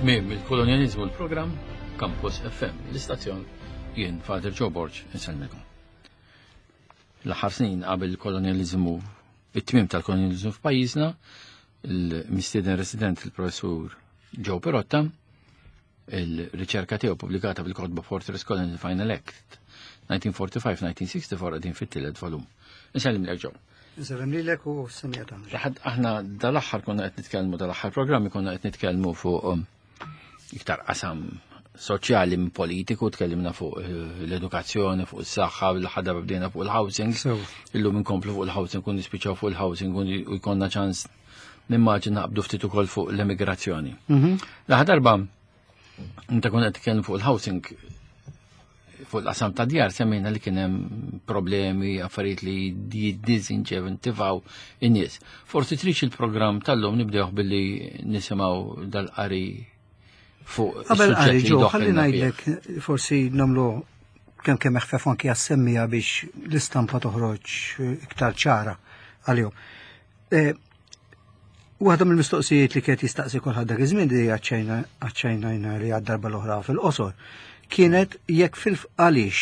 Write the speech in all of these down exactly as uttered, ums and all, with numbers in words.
Tmiem il-kolonjalizmu l-programm Campus F M, l-istazzjon, jien Father Joe Borg insellmikom. L-aħħar snin qabel il-kolonjalizmu, it-tmiem tal-kolonjalizmu f'pajjiżna, il-mistieden resident il-professur Joe Pirotta, il-riċerka tiegħu pubblikata fil-kotba Fortress Colony Final Act elf disa' mija u erbgħa u erbgħin-elf disa' mija u sitta u erbgħin qegħdin fit-tielet volum. Insellem Joe. Insellem lilek u s-semmiegħa tagħna. Laħad aħna dal-aħħar konna qed nitkellmu, dal-aħħar programmi konna qed nitkellmu fuq um, iktar qasam soċjali minn politiku, tkellimna fuq eh, l-edukazzjoni, fuq is-saħħa, l-ħadda bdejna fuq il-housing. Sew. Illum inkomplu fuq il-housing, kun nispiċċaw fuq il-housing kun u jkollna ċans nimmaġina naqbdu ftit ukoll fuq l-emigrazzjoni. Mhm. L-aħħar darba inta konna qed titkellem fuq il-housing, fuq l-qasam ta' djar, semmejna li kien hemm problemi, affarijiet li jiddizinċentivaw in-nies. Forsi trix il-programm tal-lum nibdewh billi nisimgħu dal-qari fuq Qabel is-suġġett qari li ġo, doħħilna ħalli fih. ngħidlek, forsi nagħmlu kemm kemm eħfef anki għas-semmiegħa biex l-istampa toħroġ iktar ċara għalihom. Eh, Waħda mill-mistoqsijiet li kienet jistaqsi kulħadd dak iż-żmien li aċċennajna li għad-darba l-oħra fil-qosor kienet jekk fil għaliex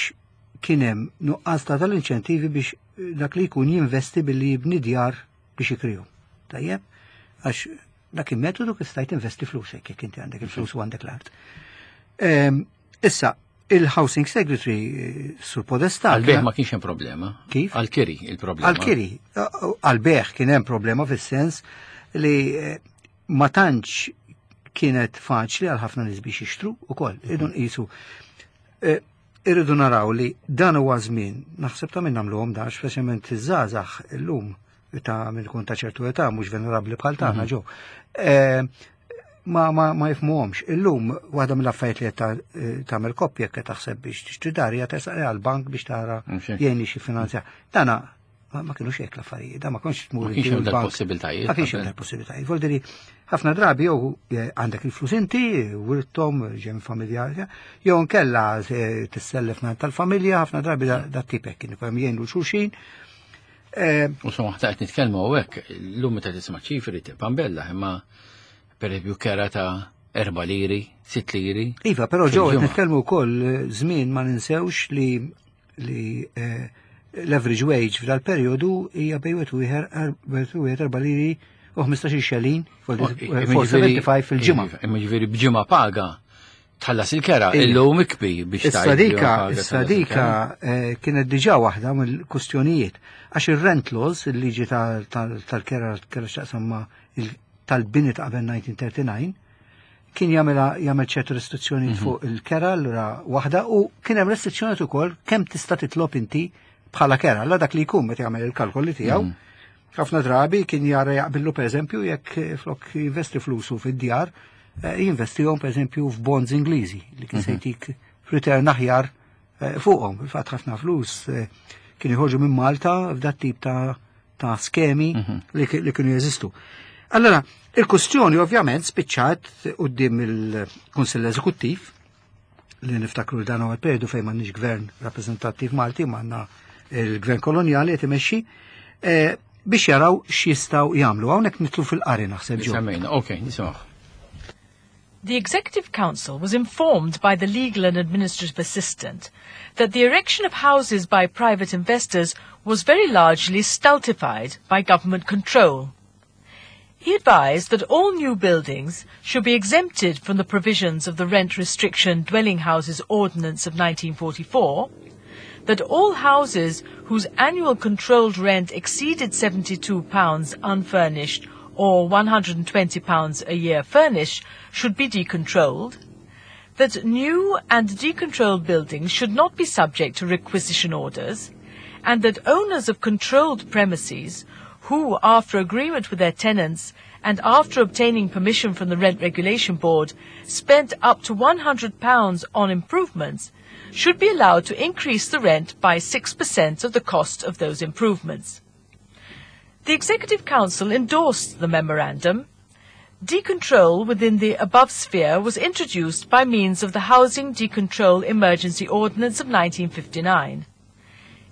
kien hemm nuqqas ta' tal-inċentivi biex dak li jkun jinvesti billi jibni djar biex jikrihom. Tajjeb, għax dak il-metodu kif stajt investi flusek jekk inti għandek il-flus u għandek l-art. Ehm, Issa, il-Housing Secretary eh, Sur Podesta. Għal-bejgħ ma kienx hemm problema. Kif? Għal-kiri il-problema. Għal-kiri, għal-bejgħ kien hemm problema fis-sens li eh, ma tantx kienet faċli għal ħafna nies biex jixtru ukoll, irridu nqisu. Eh, Irridu naraw li dan huwa żmien, naħseb ta' minn nagħmluhom dan, speċjalment iż-żgħażagħ illum ta' minn kun ta' ċertu età mhux venerabbli bħal tagħna ġo. Eh, Ma ma ma jifhmuhomx. Illum waħda mill-affarijiet li qed ta- eh, tagħmel koppja jekk qed taħseb biex tixtri dar hija tersaq għall-bank biex tara Mhux hekk. jgħinni xi finanzja. Dana ma, ma kienux hekk l-affarijiet, da ma kontx tmur Ma kienx inti hemm u l-bank. dal-possibiltajiet Ma kienx hemm qabel. dal-possibiltajiet. Vuol dire ħafna drabi jew eh, għandek il-flus inti, wirtom, ġem familja, jew nkella eh, tissellef minn tal-familja, ħafna drabi da, da tip hekk kien ikun jgħinu xulxin. Eh, U so aħna qed nitkellmu hawnhekk, llum meta tisma' ċifri pambella, imma per eżempju kera ta' erba' liri, sitt liri. Iva, però ġew qed Fil-ġimgħa. nitkellmu wkoll eh, żmien ma ninsewx li li eh, l-average wage f'dal perjodu hija bejn wieħed u wieħed u wieħed erba' liri u ħmistax-il xelin, Oh, imma ġifieri- erbgħa u sebgħin fil-ġimgħa. Imma ġifieri b'ġimgħa paga tħallas il-kera, Ija. illum ikbi biex Issa tgħid dika, b'ġimgħa paga issa tħallas dika il-kera. eh, kienet diġà waħda mill-kustjonijiet. Għax il-rent laws, il-liġi tal- tal- tal-kera kera x'taqsam ma' il- tal-bini ta' qabel elf disa' mija u tletin u disgħin, kien jagħmel jagħmel ċertu restrizzjonijiet fuq il-kera allura waħda u kien hemm restrizzjonijiet ukoll kemm tista' titlob inti bħala kera. Allura dak li jkun meta jagħmel il-kalkoli tiegħu. Ħafna drabi kien jara jaqbillu, pereżempju, jekk eh, flok jinvesti flusu fid-djar, eh, jinvestihom pereżempju f'bonds Ingliżi li kien se jtik return aħjar eh, fuqhom. Fil-fatt ħafna flus eh, kien jħorġu minn Malta f'dat tip ta' ta' skemi li, ki- li kienu jeżistu. Allora, il-kustjoni ovvjament spiċċat quddiem il-Kunsill Eżekuttiv, li niftakru li dan huwa l-periodu fejn m'għandniex gvern rappreżentattiv Malti, m'għandna il-gvern kolonjali qed imexxi, eh, biex jaraw x'jistgħu jagħmlu. Hawnhekk nidħlu fil-qari naħseb ġo. Semmejna, ok, nisimgħu. The Executive Council was informed by the Legal and Administrative Assistant that the erection of houses by private investors was very largely stultified by government control. He advised that all new buildings should be exempted from the provisions of the Rent Restriction Dwelling Houses Ordinance of nineteen forty-four, that all houses whose annual controlled rent exceeded seventy-two pounds unfurnished or one hundred and twenty pounds a year furnished should be decontrolled, that new and decontrolled buildings should not be subject to requisition orders, and that owners of controlled premises who, after agreement with their tenants and after obtaining permission from the Rent Regulation Board, spent up to one hundred pounds on improvements, should be allowed to increase the rent by six percent of the cost of those improvements. The Executive Council endorsed the memorandum. Decontrol within the above sphere was introduced by means of the Housing Decontrol Emergency Ordinance of nineteen fifty-nine.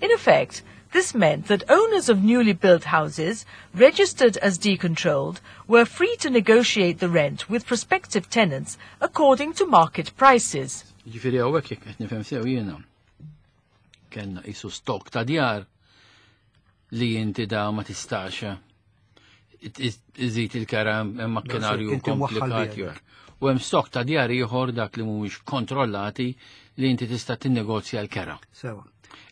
In effect, This meant that owners of newly built houses, registered as decontrolled, were free to negotiate the rent with prospective tenants according to market prices. Ġifieri hawnhekk, jekk qed nifhem sew jiena, kellna qisu stok ta' djar li inti da ma tistax iżid il-kera, hemm makkinarju Inti mwaħħal komplikat biha. jew. U hemm stok ta' djar ieħor, dak li mhuwiex kontrollati, li inti tista' tinnegozja l-kera. Sewa.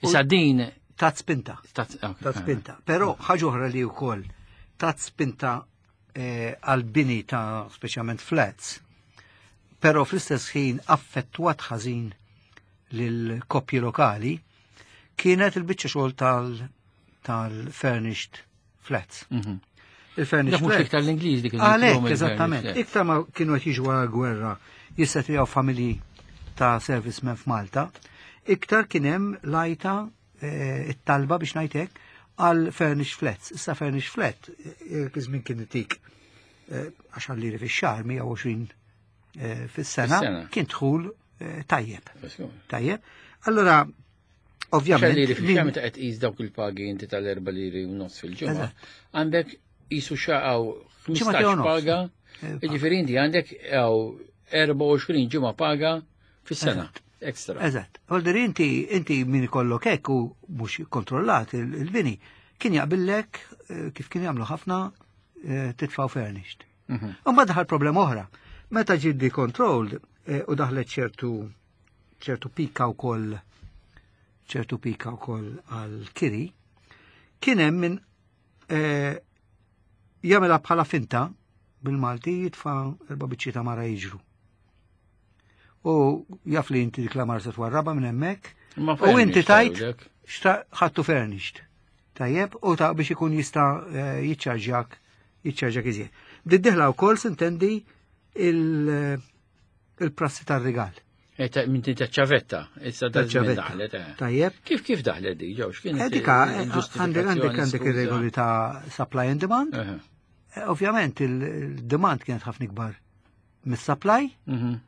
Issa din Tat spinta. tat ok, Tat spinta. Però ħaġa oħra li wkoll tat spinta eh, għal-bini ta' speċjalment flats, però fl-istess ħin affettwat ħażin lil koppji lokali, kienet il-biċċa xogħol tal- tal-furnished flats. Mhm. Il-furnished Dak mhux flats. iktar l-Ingliż dik. Għalek, eżattament. Iktar ma kienu qed jiġu wara gwerra jissettiljaw familji ta' servicemen f'Malta, iktar kien hemm lajta, eh, it-talba biex ngħidlek għal furnished flats. Issa furnished flat, eh, iż-żmien kien itik eh, għaxar liri fix-xahar, mija u għoxrin eh, fis-sena, Fis-sena. kien dħul eh, tajjeb. Tajjeb. Allora, ovvjament, Liri fil min- meta qed tqis dawk il-pagi inti tal-erba' liri u nofs fil-ġimgħa, Eżatt. għandek qisu xaqaw Ġimgħa ħmistax u nofs. paga, Eh, jiġifieri inti għandek għaw erbgħa u għoxrin ġimgħa paga fis-sena. Ekstra. Eżatt. Volder inti, inti min ikollok hekk u mhux kontrollat il- il-bini, kien jaqbillek eh, kif kien jagħmlu ħafna eh, titfaw furnished. Mhm. U mbagħad daħal problema oħra. Meta ġie decontrolled eh, u daħlet ċertu ċertu pika wkoll ċertu pika wkoll għal kiri, kien hemm min eh, jagħmilha bħala finta, bil-Malti jitfa' erba' biċċi ta' mara jiġru. U jaf li inti dik l-għamara se twarraba minn hemmhekk, Ma u inti furnished tajt tgħidlek. xta ħadtu furnished. Tajjeb, u ta' biex ikun jista' eh, jiċċarġjak jiċċarġjak iżjed. Bdiet wkoll sintendi il- il-prassi tar-rigal. Eh, ta' Minn ta' ċavetta, issa da' żmien Taċ-ċavetta. daħlet. eh. Tajjeb. Kif kif daħlet di, ġew, x'kienet Eh, Dika, eh, il-ġustifikazzjoni, għandek għandek għandek skuża? ir-regoli ta' supply and demand. Eħe. Eh, Ovvjament il-demand kienet ħafna ikbar mis-supply. Mhm.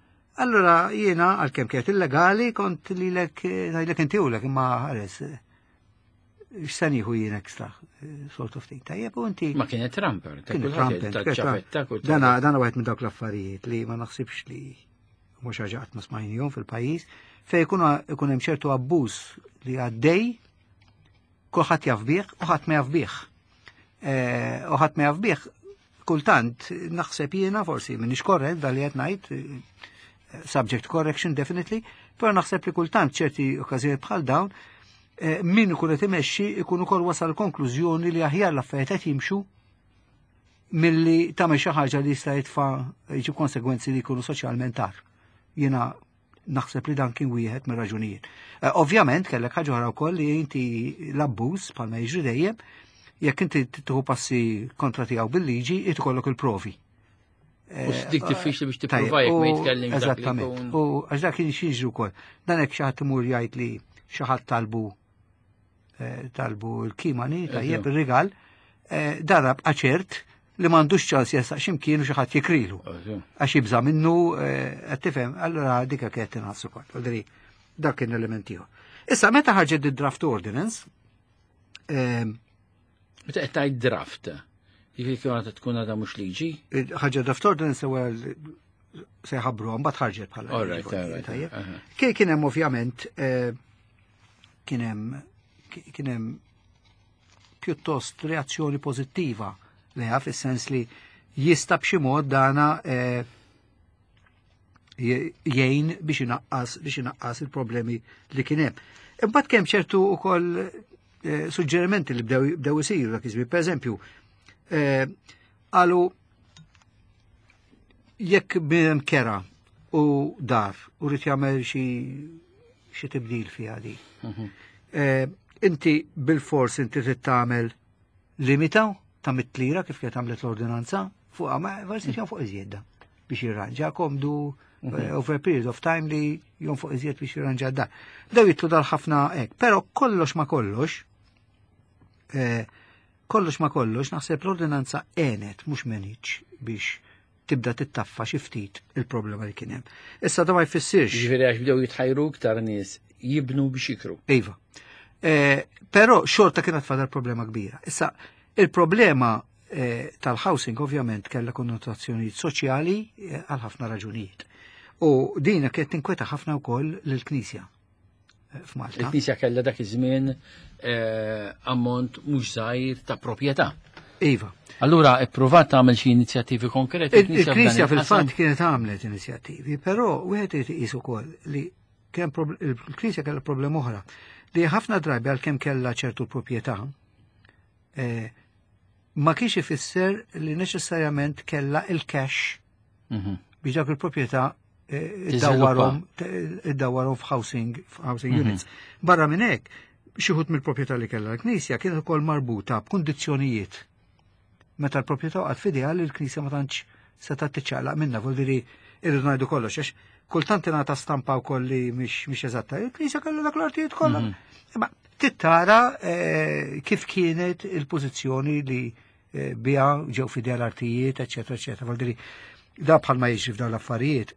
Allora jiena, għalkemm kienet illegali, kont li lek ngħidlek inti u lek imma ħares eh, x'se nieħu jien extra, eh, sort of thing. Tajjeb, u inti Ma kienet rampant, ta' kien kulħadd rampant, ta' kienet ċavetta, rampant. kull Dana dana wieħed minn dawk l-affarijiet li ma naħsibx li mhux ħaġa qatt ma smajnihom fil-pajjiż, fejn ikun ikun hemm ċertu abbuż li għaddej, kulħadd jaf bih u ħadd ma jaf bih. Eh, U ħadd ma jaf bih, kultant naħseb jiena, forsi m'iniex korrett dal li qed ngħid, eh, subject to correction definitely, però naħseb li kultant ċerti okkażjonijiet bħal dawn eh, min ikun qed imexxi ikun ukoll wasal konklużjoni li aħjar l-affarijiet qed jimxu milli tagħmel xi ħaġa li jista' jitfa' jġib konsegwenzi li jkunu soċjalment tar. Jiena naħseb li dan kien wieħed mir-raġunijiet. Eh, Ovvjament kellek ħaġa oħra wkoll li inti l-abbuż, bħalma jiġri dejjem, jekk inti tieħu passi kontra tiegħu bil-liġi, irid ikollok il-provi. U dik diffiċli biex Tajjeb, tipprova jekk ma u- jitkellimx dak li Eżattament. jkun. U għax dak kien jiġri wkoll. Dan hekk xi ħadd imur jgħid li xi ħadd talbu eh, talbu l-kimani, tajjeb, ir-rigal, eh, darab ċert li m'għandux ċans jersaq x'imkien u xi ħadd jikrilu. Għax jibża minnu, eh, qed tifhem, allura dika kienet tinħass ukoll. Vuol dak kien element ieħor. Issa meta ħarġet id-draft ordinance, eh, Meta qed tgħid draft, jiġifieri kien tkun għadha mhux liġi? Ħarġet draft ordinance ewwel se jħabbru, mbagħad ħarġet bħala All liġi, right, all right, tajjeb. aha. Kien kien hemm ovvjament eh, kien hemm kien hemm pjuttost reazzjoni pożittiva leha, fis-sens li jista' b'xi mod dana eh, je- jgħin biex inaqqas biex inaqqas il-problemi li kien hemm. Imbagħad kemm ċertu ukoll eh, suġġerimenti li bdew bdew isiru dak iż-żmien. Pereżempju, eh, qalu jekk bniedem kera u dar u rrid jagħmel xi xi tibdil fiha di. Eh, inti bil-fors inti trid tagħmel limita ta' mitt lira kif kienet għamlet l-ordinanza fuq, ma forsi fuq iżjed biex jirranġa komdu eh, over a period of time li jonfoq iżjed biex jirranġa dar. Daw jitlu dal ħafna hekk, però kollox ma kollox, eh, kollox ma kollox, naħseb l-ordinanza għenet mhux meniċ biex tibda tittaffa xi ftit il-problema li kien hemm. Issa da ma jfissirx. Ġifieri għax bdew jitħajru iktar nies jibnu biex jikru. Iva. Eh, Però xorta kienet fadal problema kbira. Issa, il-problema eh, tal-housing ovvjament kellha konnotazzjonijiet soċjali eh, għal ħafna raġunijiet. U dina kienet tinkweta ħafna wkoll lill-Knisja eh, f'Malta. Il-Knisja kellha dak iż-żmien eh, ammont mhux żgħir ta' proprjetà. Iva. Allura ippruvat tagħmel xi inizjattivi konkreti. Il-Knisja f'dan il-qasam? fil-fatt kienet għamlet inizjattivi, però wieħed irid iqis ukoll li kien prob- il-Knisja kellha problema oħra li ħafna drabi għalkemm kellha ċertu proprjetà eh, ma kienx ifisser li neċessarjament kellha il-cash Mhm. biex dak il-proprjetà eh, Tiżviluppa. iddawwarhom iddawwarhom f'housing f'housing units. Barra minn hekk, xi wħud mill-proprjetà li kellha l-Knisja kienet ukoll marbuta b'kundizzjonijiet. Meta l-proprjetà waqgħet f'idejha li l-Knisja ma tantx setgħet tiċċaqlaq minnha, vuol dire irridu ngħidu kollox għax kultant ingħata stampa wkoll li mhix mhix eżatta. Il-Knisja kellha dak l-artijiet kollha. Imma tittara eh, kif kienet il-pożizzjoni li eh, biha ġew f'idejha l-artijiet, eċetera, eċetera. Vuol dire da bħalma jiġri f'dawn l-affarijiet,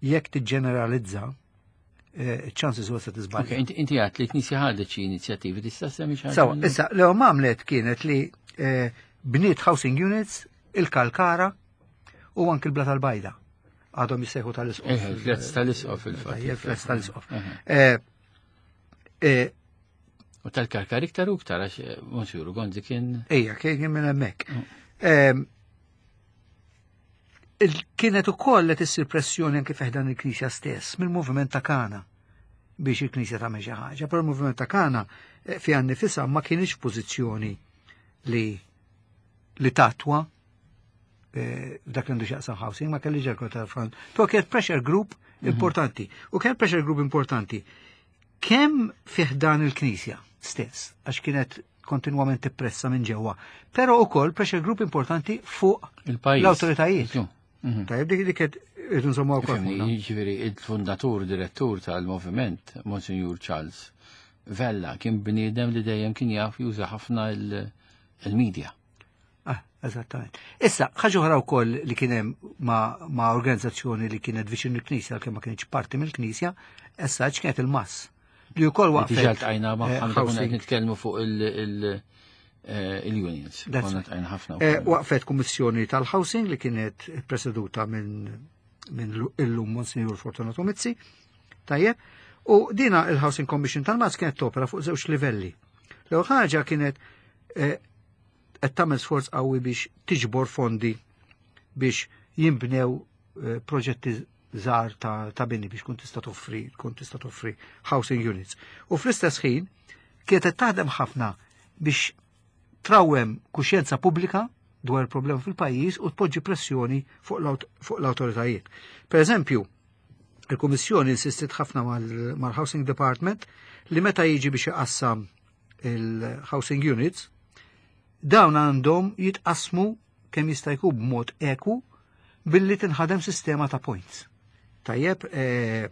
jekk tiġġeneralizza, eh, chances huwa se tiżbalja. Ok, inti inti għedt li l-Knisja ħadet xi inizjattivi, tista' semmi xi ħaġa Sawa, minnhom? issa, l għamlet kienet li eh, bniet housing units, il-Kalkara u anki l-Blata l-Bajda. Għadhom jissejħu tal-Isqof. Eh, il-flats tal-Isqof fil-fatt. Il-flats tal-Isqof. Aha. Eh, eh, U tal-Kalkara iktar u iktar għax eh, Monsijur Gonzi kien Ejja, kien minn hemmhekk. Ehm, il- Kienet ukoll qed issir pressjoni anke fi ħdan il-Knisja stess mill-moviment ta' Kana biex il-Knisja tagħmel xi ħaġa, però il-moviment ta' Kana eh, fiha nnifisha ma kienx pożizzjoni li li tattwa eh, dak li għandu x'jaqsam housing, ma kellix ġerko tal-front. To kienet pressure group importanti. U kien pressure group importanti. Kemm fi ħdan il-Knisja stess, għax kienet kontinwament tippressa minn ġewwa, però ukoll pressure group importanti fuq il-pajjiż. l-awtoritajiet. Mhm. Tajjeb, dik dik qed irridu nżommuha wkoll Ifhimni, fuqna. jiġifieri il-fundatur, direttur tal-moviment, Monsignor Charles Vella, kien bniedem li dejjem kien jaf juża ħafna il- il-media. Ah, eżattament. Issa, ħaġa oħra wkoll li kien hemm ma, ma organizzazzjoni li kienet viċin il-Knisja, għalkemm ma kienx parti mill-Knisja, issa kienet il-M A S. Li wkoll waqfet. Diġà ltqajna eh, ma' konna qed housing. nitkellmu fuq il- il- eh, il-unions. That's Konna right. ltqajna ħafna Eh, wkoll. Waqfet kummissjoni tal-housing li kienet preseduta minn minn illum Monsignor Fortunato Mizzi. Tajjeb, u dina il-Housing Commission tal-M A S kienet topera fuq żewġ livelli. L-ewwel ħaġa kienet eh, qed tagħmel sforz qawwi biex tiġbor fondi biex jinbnew eh, proġetti żgħar ta', ta' bini biex kun tista' toffri kun tista' toffri housing units. U fl-istess ħin kienet qed taħdem ħafna biex trawwem kuxjenza pubblika dwar il-problema fil-pajjiż u tpoġġi pressjoni fuq l-aut- fuq l-awtoritajiet. Per eżempju, il-Kummissjoni insistit ħafna mal- mal-Housing Department li meta jiġi biex iqassam il-housing units, dawn għandhom jitqasmu kemm jista' jkun b'mod eku billi tinħadem sistema ta' points. Tajjeb, eh,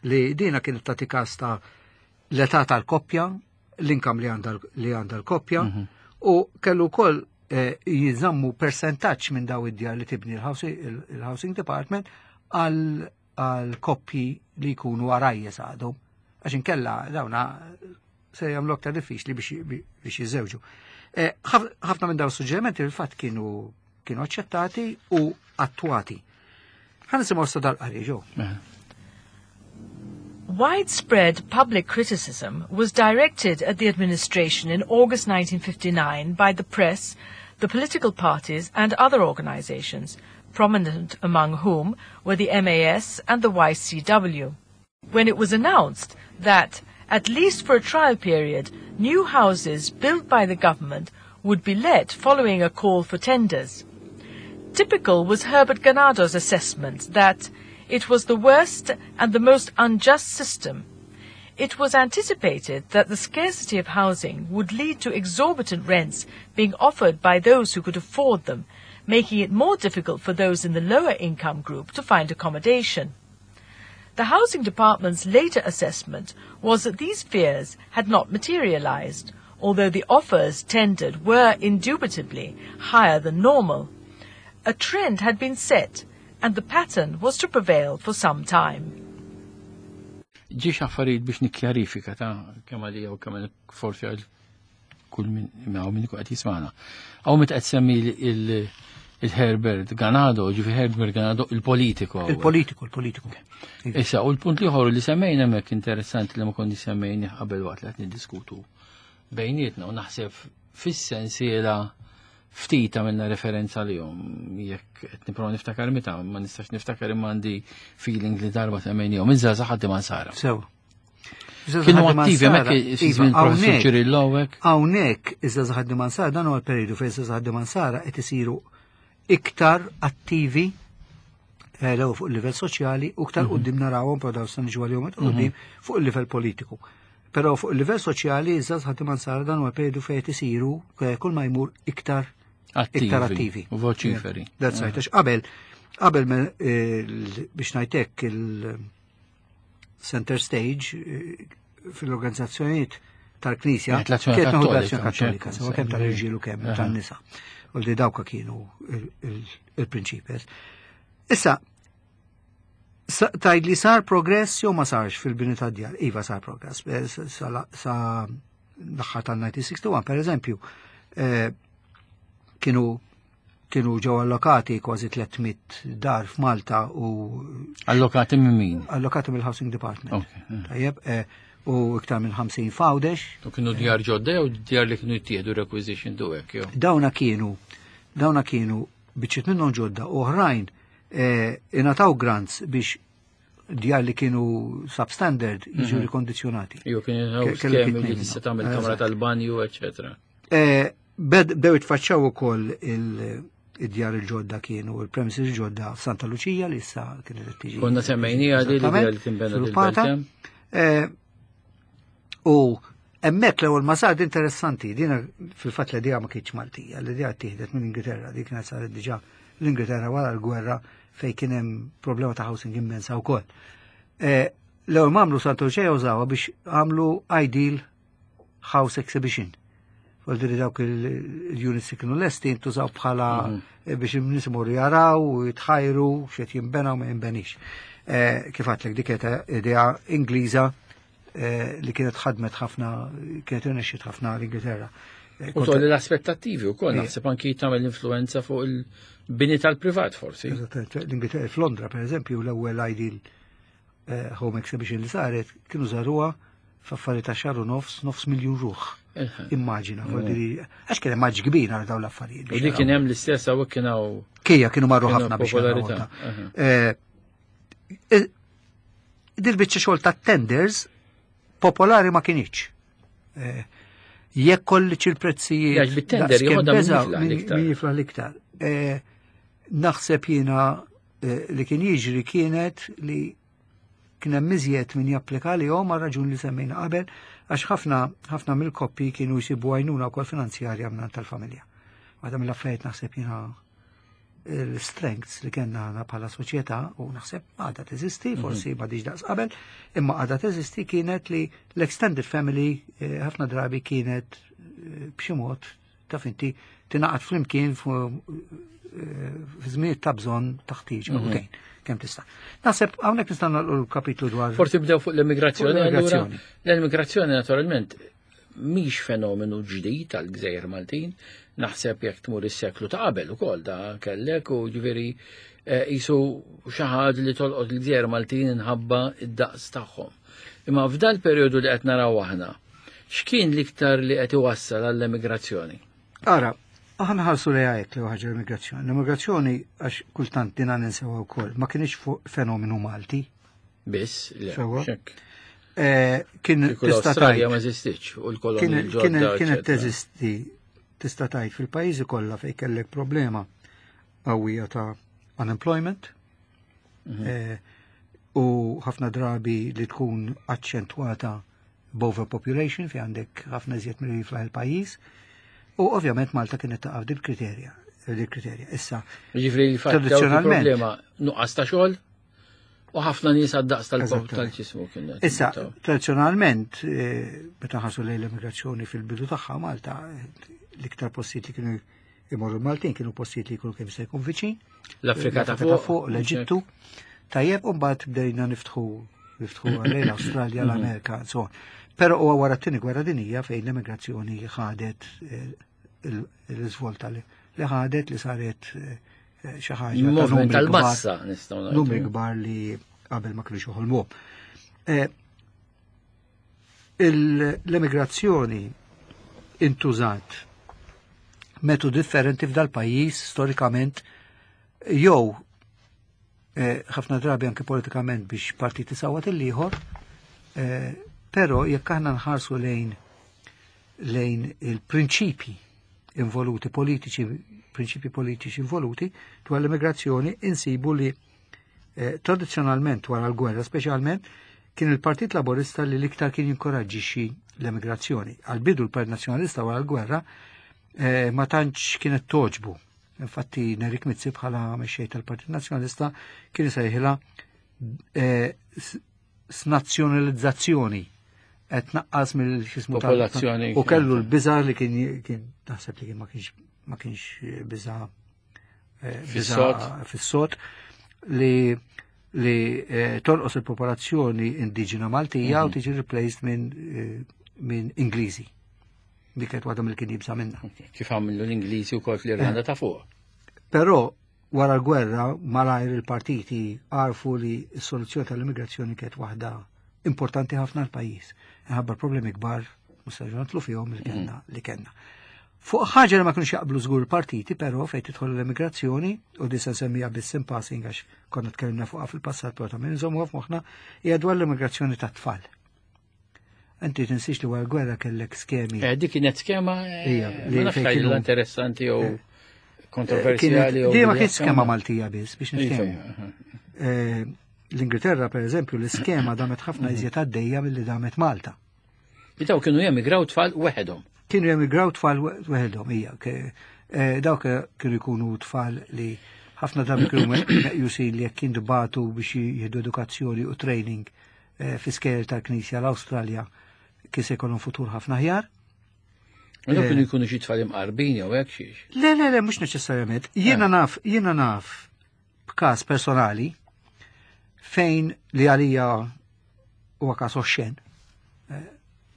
li dina kienet tagħti każ ta' l-età tal-koppja, l-income li għandha li għandha l-koppja, u kellu wkoll eh, jiżammu percentaġġ minn daw id-djar li tibni il-housing il-housing department għal għal koppji li jkunu għarajjes għadhom. Għax inkella dawna se jagħmlu aktar diffiċli biex biex jiżewġu. Eh, ħaf- Ħafna minn dawn suġġerimenti fil-fatt kienu kienu aċċettati u attwati. Ħa nisimgħu issa dal-qari ġew. Eh. Widespread public criticism was directed at the administration in August nineteen fifty-nine by the press, the political parties, and other organizations, prominent among whom were the M A S and the Y C W, when it was announced that, at least for a trial period, new houses built by the government would be let following a call for tenders. Typical was Herbert Ganado's assessment that it was the worst and the most unjust system. It was anticipated that the scarcity of housing would lead to exorbitant rents being offered by those who could afford them, making it more difficult for those in the lower income group to find accommodation. The Housing Department's later assessment was that these fears had not materialized, although the offers tendered were indubitably higher than normal. A trend had been set, and the pattern was to prevail for some time. Ġiex affarijiet biex nikkjarifika ta' kemm għalija u kemm forsi għal kull min hawn min qed jismagħna. Hawn meta qed semmi il-Herbert Ganado, ġifi Herbert Ganado il-politiku. Il-politiku, il-politiku. Issa, u l-punt l-ieħor li semmejna hemmhekk interessanti li ma konni semmejni qabel waqt li qed niddiskutu bejnietna u naħseb fis-sensiela ftit għamilna referenza li jom, jekk qed nipprova niftakar meta, ma nistax niftakar imma għandi feeling li darba semmejnihom, iż-żgħażagħ ħaddiema Nsara. Sew. Kienu attivi hemmhekk fi żmien Professur Ċirillo hekk. Hawnhekk iż-żgħażagħ ħaddiema Nsara dan huwa l-perjodu fejn iż-żgħażagħ ħaddiema Nsara qed isiru iktar attivi eh, l fuq il-livell soċjali u iktar quddiem narawhom però dawn se niġu għalihom quddiem fuq il-livell politiku. Però fuq il-livell soċjali iż-żgħażagħ ħaddiema Nsara dan huwa perjodu fejn qed isiru eh, kull ma jmur iktar iktar attivi. U voċiferi. That's right. Għax qabel qabel me- il- biex ngħidlek il-center stage eh, fil-organizzazzjonijiet tal-Knisja Kienet l-Azzjoni kienet naħu Kattolika, l-Azzjoni Kattolika, ċertu, sewa kemm tal-irġiel u kemm Aha. tan-nisa. U li dawka kienu il- il- il-prinċipes. Issa, sa- tgħid li sar progress jew ma sarx fil-bini ta' djar? Iva sar progress. Eh, Sa sa l-aħħar tal-elf disa' mija u wieħed u sittin, per eżempju, eh, kienu kienu ġew allokati kważi tliet mitt dar f'Malta u Allokati minn min? Allokati mill-Housing Department. Ok, eh. Tajjeb, eh, u iktar minn ħamsin f'Għawdex. U kienu djar ġodda jew djar li kienu jittieħdu requisition du hekk jew? Dawna kienu dawna kienu biċċiet minnhom ġodda, oħrajn eh, ingħataw grants biex djar li kienu substandard jiġu rikondizjonati. Jew kienu Ke- kellu skemi kitnejn li minnhom. tista' tagħmel kamra Eżatt. tal-banju, eċetera. Eh, bed- Bdew jitfaċċaw ukoll il- id-djar il-ġodda kienu il-premises il-ġodda f'Santa Luċija li issa kienet qed tiġi. Konna semmejnija li Eżattament, li tinbena sviluppata. dil-belt. Eh, U hemmhekk l-ewwel ma sar interessanti, dina fil-fatt l-idea ma kienx Maltija, l-idea tieħdet minn Ingilterra, dik kienet saret diġà l-Ingilterra wara l-gwerra fejn kien hemm problema ta' housing immensa wkoll. Eh, L-ewwel ma għamlu Santa Luċija użawha biex għamlu Ideal House Exhibition. Vuol dawk il-units li kienu lesti intużaw bħala eh, biex in-nies imorru jaraw u jitħajru x'qed jinbena u ma jinbenix. Eh, Kif għedtlek dik kienet idea Ingliża eh, li kienet ħadmet ħafna, kienet irnexxiet ħafna l-Ingilterra. Eh, U kont- tolli l-aspettattivi u koll, Ija. naħseb anki tagħmel influenza fuq il-bini tal-privat forsi. Eżattament, l-Ingilterra, f'Londra per eżempju, l-ewwel Ideal eh, Home Exhibition li saret, kienu żaruha f'affarijiet ta' xahar u nofs, nofs miljun ruħ. Immaġina, vuol dire, għax kien hemm maġ kbir għal dawn l-affarijiet. U li kien hemm l-istess hawnhekk kien hawn Kija kienu marru Kienu ħafna biex popolarità, jaraw. aha. Eh, eh, Dil-biċċa xogħol ta' tenders popolari ma kienx. Eh, Jekk kolliċ il-prezzijiet. Għax bit-tender daqs kemm jeħodha min beżaw, jiflaħ min- l-iktar. min jiflaħ l-iktar. Eh, Naħseb jiena eh, li kien jiġri kienet li kien hemm iżjed min japplika li għal raġun li semmejna qabel, għax ħafna ħafna mill-koppji kienu jsibu għajnuna wkoll finanzjarja minn tal-familja. Waħda mill-affarijiet naħseb jiena l-strengths li kellna aħna bħala soċjetà u naħseb għadha teżisti, forsi ma diġ daqs qabel, imma għadha teżisti kienet li l-extended family eh, ħafna drabi kienet eh, b'xi mod taf inti tingħaqad flimkien fu- eh, fi żmien ta' bżonn taħtieġ u tgħin kemm tista'. Naħseb hawnhekk nistgħu nagħlqu l-kapitlu dwar Forsi bdew fuq l-immigrazzjoni. Fuq l-immigrazzjoni. Allura, l-immigrazzjoni naturalment mhix fenomenu ġdid tal-Gżejjer Maltin, naħseb jekk tmur is-seklu ta' qabel ukoll da kellek u ġifieri eh, jisu xi ħaġa li tolqot il-Gżejjer Maltin inħabba id-daqs tagħhom. Imma f'dal perjodu li qed naraw aħna, x'kien l-iktar li qed iwassal għall-emigrazzjoni? Ara, aħna ħarsu li għajek li ħaġa l-immigrazzjoni. L-immigrazzjoni, għax kultant dina ninsewa wkoll, ma kienx fuq fenomenu Malti. Biss, le, Sewa. xek. Eh, Kien Kieku tista' l-Awstralja tgħid ma eżistitx u l-kolonji kien- l-ġodda. kien- kienet eċetera. teżisti tista' tgħid fil-pajjiżi kollha fejn kellek problema qawwija ta' unemployment Mhm. eh, u ħafna drabi li tkun aċċentwata b'overpopulation fi għandek ħafna iżjed milli jiflaħ il-pajjiż. U ovvjament Malta kienet taqa' dil kriterja dil kriterja. Issa, Ġifri li fatt dawk Tradizzjonalment. il-problema nuqqas ta' xogħol u ħafna nies għad-daqs tal-pop Eżattament. tal-ġismu kien. Issa, tradizzjonalment, eh, meta ħarsu lejn l-immigrazzjoni fil-bidu tagħha Malta, eh, l-iktar postijiet li kienu imorru Maltin kienu postijiet li jkunu kemm se jkun viċin. L-Afrika ta' L-Afrika fuq, l-Eġittu. Tajjeb, u mbagħad bdejna niftħu jiftħu lejn l-Awstralja, l-Amerika, so on. Però huwa wara t-tieni gwerra dinija fejn l-emigrazzjoni ħadet eh, il- l-iżvolta li li ħadet li saret eh, xi ħaġa ta' Movement numri kbar tal-massa nistgħu ngħidu. numri kbar li qabel ma kienux joħolmu. Eh, il- L-emigrazzjoni intużat metodu differenti f'dal pajjiż storikament jew eh, ħafna drabi anke politikament biex partiti sawat il-ieħor, eh, però jekk aħna nħarsu lejn lejn il-prinċipi involuti politiċi, prinċipi politiċi involuti dwar l-immigrazzjoni insibu li eh, tradizzjonalment wara l-gwerra speċjalment kien il-Partit Laborista li l-iktar kien jinkoraġġixxi l-emigrazzjoni. Għal-bidu l-Partit Nazzjonalista wara l-gwerra eh, ma tantx kienet toġbu. Infatti Nerik Mizzi bħala mexxej tal-Partit Nazzjonalista kien isejħilha eh, s- snazzjonalizzazzjoni qed naqqas mill-xismu tal- Popolazzjoni. U kellu l-biża li kien kien naħseb li kien ma kienx ma kienx biża eh, biża Fis-sod. fis-sod li li eh, tonqos il-popolazzjoni indiġena Maltija u tiġi replaced minn eh, minn Ingliżi. Dik kienet waħda mill kien jibża minnha. Kif għamlu l-Ingliżi wkoll fl-Irlanda ta' fuq. Però wara l-gwerra malajr il-partiti għarfu li s-soluzzjoni tal-immigrazzjoni kienet waħda importanti ħafna l-pajjiż. Ħabba problemi kbar mhux se nidħlu fihom li kellna li kellna. Fuq ħaġa li ma kienux jaqblu żgur il-partiti, però fejn tidħol l-immigrazzjoni, u di se nsemmija biss in passing għax konna tkellimna fuqha fil-passat però ta' min nżommuha f'moħħna, hija dwar l-immigrazzjoni tat-tfal. Inti tinsiex li wara l-gwerra kellek skemi Eh, dik kienet skema eh, Ija, li ma nafx fejn li kienu- interessanti jew Kienet- kontroversjali jew Di ma kienx skema Maltija biss biex Iva, niftehmu. aha. Eh, L-Ingilterra, per eżempju, l-iskema damet ħafna iżjed għaddejja milli damet Malta. Daw kienu jemigraw tfal weħedhom. Kienu jemigraw tfal weħedhom, hija. ke- eh, Dawk kienu jkunu tfal li ħafna drabi kienu meqjusin li jekk jintbagħtu biex jieħdu edukazzjoni u training eh, fi skejjel tal-Knisja l-Awstralja kien se jkollhom futur ħafna aħjar. U Daw Eh. kienu jkunu xi tfal imqarbin jew hekk xiex. Le, le, le, mhux neċessarjament. Jiena naf, jiena naf b'każ personali fejn li għalija huwa każ oxxen, eh,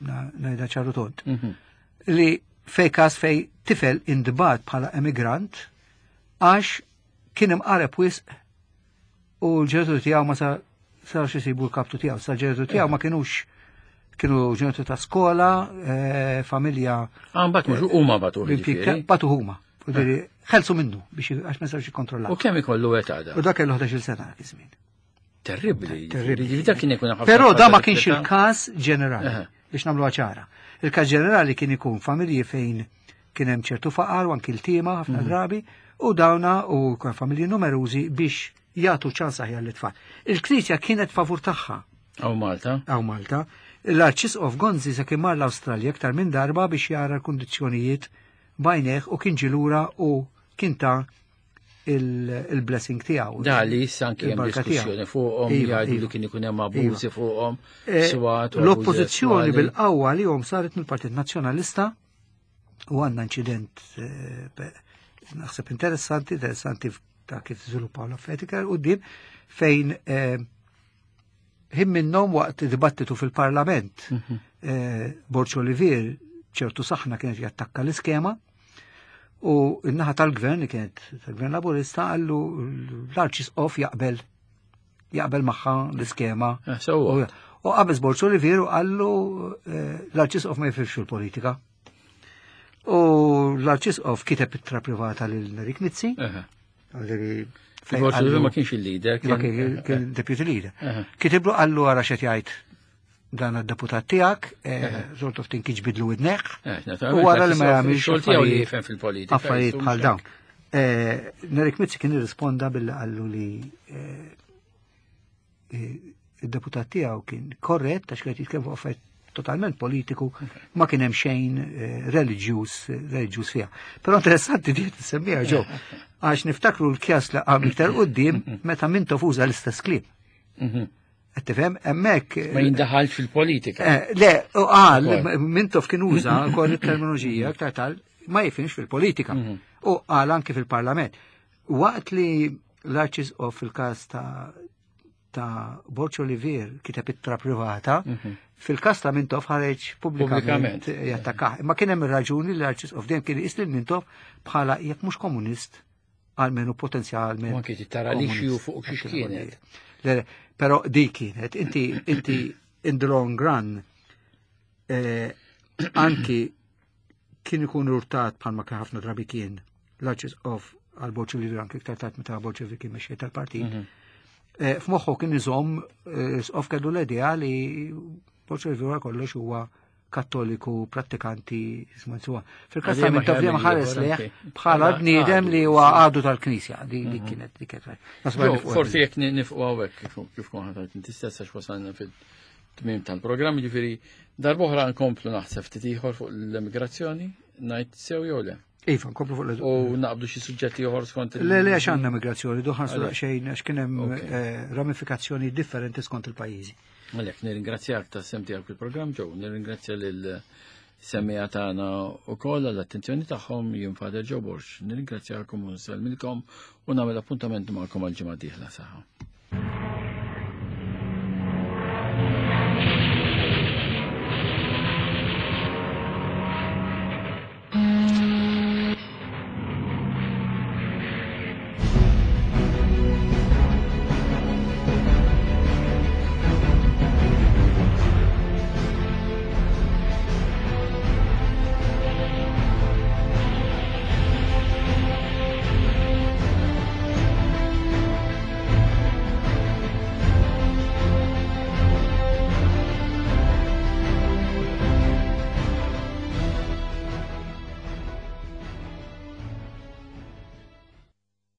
na- ngħidha ċaru tont, Mhm. li fej każ fej tifel intbagħat bħala emigrant għax kien imqareb wisq u l-ġenituri tiegħu ma sa sarx isibu l-kaptu tiegħu, sa l-ġenituri tiegħu ma kinux kienu ġenituri ta' skola, eh, familja Ah, mbagħad mhux huma bagħtu jiġifieri. bagħtu huma. Jiġifieri, ħelsu minnu biex għax ma sarx jikkontrollaw. U kemm ikollu età da? U dak kellu ħdax-il sena dak iż-żmien. Terribbli. Terribbli. Jiġifieri dak kien ikun ħafna Però da ma tfal kienx ta' il-każ ġenerali Aha. biex nagħmluha ċara. Il-każ ġenerali kien ikun familji fejn kien hemm ċertu faqar u anki l-tima ħafna drabi u dawna u kien familji numerużi biex jagħtu ċans aħjar lit-tfal. Il-Knisja kienet favur tagħha Hawn Malta. hawn Malta. L-Arċisqof Gonzi sa kien mar l-Awstralja aktar minn darba biex jara l-kundizzjonijiet b'għajnejh u kien ġie lura u kien ta il- il-blessing tiegħu. Da li issa anki hemm Il-barka diskussjoni tiegħu. fuqhom, Iva, jgħidu li iva. kien ikun hemm abużi fuqhom, Eh, swat u abużi L-oppożizzjoni sesswali. bil-qawwa li jom saret mill-Partit Nazzjonalista u għandna inċident eh, pe- naħseb interessanti, interessanti ta' kif żviluppaw l-affarijiet iktar quddiem fejn eh, ħin minnhom waqt dibattitu fil-Parlament eh, Borg Olivier ċertu saħna kienet jattakka l-iskema u n-naħa tal-gvern li kienet tal-gvern laburista qallu l-arċisqof jaqbel jaqbel magħha l-iskema. Eh, sewwa. U u qabeż Borg Olivier u qallu eh, l-arċisqof ma jifhimx il-politika. U l-arċisqof kiteb ittra privata lil Nerik Mizzi, Aha. għalli fejn Borg Olivier qallu- ma kienx il-leader, Ma kien kien deputy leader. Aha. Kitiblu qallu għara x'qed jgħid dan id-deputat tiegħek, eh, sort of think iġbidlu widnejh. Eh, naturalment, U wara li ma l-arċisqof jagħmilx ix-xogħol tiegħu li affarijiet- jifhem fil-politika, Affarijiet jisum bħal xek. dawn. Eh, Nerik Mizzi kien irrisponda billi qallu li eh, eh, id-deputat tiegħu kien korrett għax kien jitkellem fuq affarijiet totalment politiku, ma kien hemm xejn eh, reliġjuż reliġjuż fiha. Però interessanti di tissemmiha ġew għax niftakru l-kjas li qam iktar quddiem meta Mintoff uża l-istess kliem. Mhm. Qed tifhem hemmhekk Ma jindaħalx fil-politika. Eh, Le, u qal, Ukoll. Mintoff kien uża wkoll it-terminoloġija aktar tal ma jifhimx fil-politika. U qal anki fil-parlament. Waqt li l-Arċisqof fil-każ ta' ta' Borg Olivier kiteb ittra privata, fil-kas ta' Mintoff ħareġ pubblikament Pubblikament. jattakah. Imma kien hemm ir-raġuni li l-Arċisqof dejjem kien iqis lil Mintoff bħala jekk mhux komunist, almenu potenzjalment. U anki tara li xiju fuq xiex kienet. Le, le, però di kienet, inti, inti in the long run, eh, anki kien ikun urtat bħalma kien ħafna drabi kien l-Arċisqof għal Borg Olivier, anki iktar tard meta Borg Olivier kien mexxej tal-partit. Mhm. Eh, F'moħħu kien iżomm, eh, Isqof kellu l-idea li Borg Olivier kollox huwa kattoliku, prattikanti, isma' Fil-kas ta' Għalija ma Mintoff dejjem ħares ħares ieħor lejh anki. bħala Bħala bniedem li għadu, huwa sì. għadu tal-Knisja. Di di kienet, di kienet. Nasba Jo, nifqu forsi jekk nifqu hawnhekk kif kif kont ħadd inti stess għax wasalna fil-tmiem tal-programm, ġifieri darb'oħra nkomplu naħseb ftit ieħor fuq l-emigrazzjoni, ngħid sew jew le. Iva, nkomplu fuq l U naqbdu xi suġġetti ieħor skont il- Le, le, għax għandna migrazzjoni, duħan Għalhekk. xejn, għax kien hemm Ok. eh, ramifikazzjoni differenti skont il-pajjiżi. Għalhekk nirringrazzjak tas-sehem tiegħek fil-programm ġew, nirringrazzja lil semmiegħa tagħna wkoll għall-attenzjoni tagħhom. Jien Father Joe Borg. Nirringrazzjakom u nsellmilkom u nagħmel appuntament magħkom għal ġimgħa dieħla saħħa.